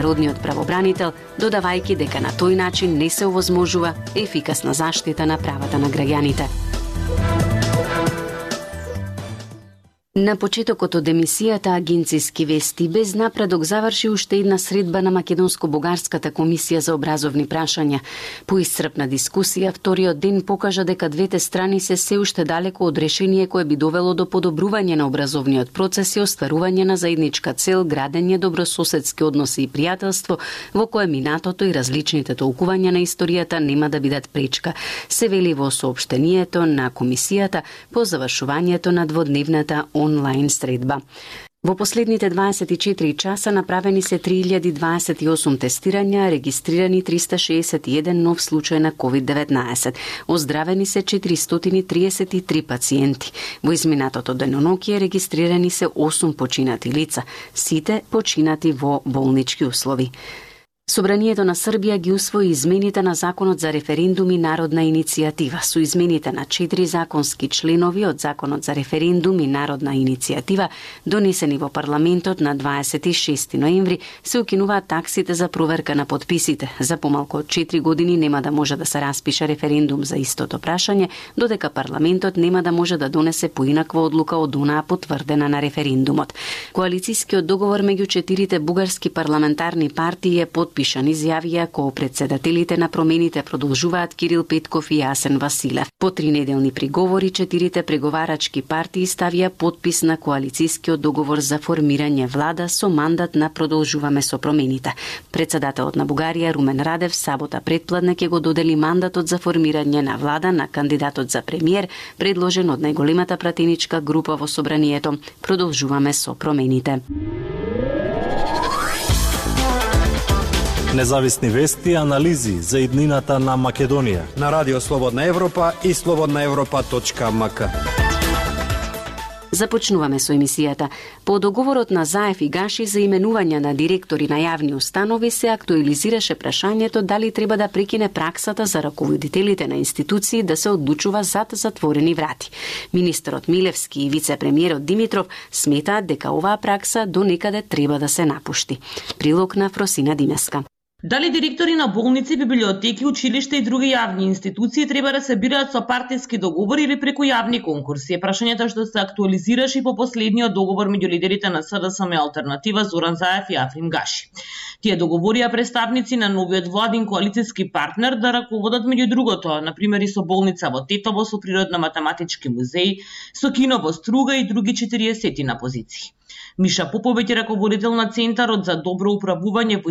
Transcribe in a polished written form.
Народниот правобранител, додавајќи дека на тој начин не се овозможува ефикасна заштита на правата на граѓаните. На почетокот од емисијата Агенциски вести без напредок заврши уште една средба на Македонско-бугарската комисија за образовни прашања. По исцрпна дискусија, вториот ден покажа дека двете страни се уште далеко од решение кое би довело до подобрување на образовниот процес и остварување на заедничка цел градење добрососедски односи и пријателство во кое минатото и различните толкувања на историјата нема да бидат пречка, се вели во соопштението на комисијата по завршувањето на дводневната онлайн средба. Во последните 24 часа направени се 3028 тестирања, регистрирани 361 нов случај на COVID-19. Оздравени се 433 пациенти. Во изминатото денонокие регистрирани се 8 починати лица, сите починати во болнички услови. Собранието на Србија ги усвои измените на Законот за референдум и народна иницијатива. Со измените на 4 законски членови од Законот за референдум и народна иницијатива, донесени во парламентот на 26 ноември, се укинуваат таксите за проверка на потписите. За помалку од 4 години нема да може да се распише референдум за истото прашање, додека парламентот нема да може да донесе поинаква одлука од онаа потврдена на референдумот. Коалицијскиот договор меѓу 4 бугарски парламентарни партии е подпишан, изјавија коопредседателите на промените продолжуваат Кирил Петков и Јасен Василев. По 3 неделни приговори, 4 преговарачки партии ставија подпис на коалицијскиот договор за формирање влада со мандат на Продолжуваме со промените. Председателот на Бугарија Румен Радев сабота предпладне ќе го додели мандатот за формирање на влада на кандидатот за премиер, предложен од најголемата пратеничка група во собранието Продолжуваме со промените. Независни вести и анализи за иднината на Македонија на Радио Слободна Европа и slobodnaevropa.mk. Започнуваме со емисијата. По договорот на Заев и Гаши за именување на директори на јавни установи се актуализираше прашањето дали треба да прекине праксата за раководителите на институции да се одлучува зад затворени врати. Министерот Милевски и вице-премиерот Димитров сметаат дека оваа пракса до некаде треба да се напушти. Прилог на Фросина Димеска. Дали директори на болници, библиотеки, училишта и други јавни институции треба да се бираат со партиски договори или преку јавни конкурси? Е прашањето што се актуализираше по последниот договор меѓу лидерите на СДСМ Алтернатива Зоран Заев и Африм Гаши. Тие договорија представници на новиот владин коалицијски партнер да раководат меѓу другото, например и со болница во Тетово, со природно-математички музеј, со кино во Струга и други 40 на позиции. Миша Поповиќ е раководител на Центарот за добро управување во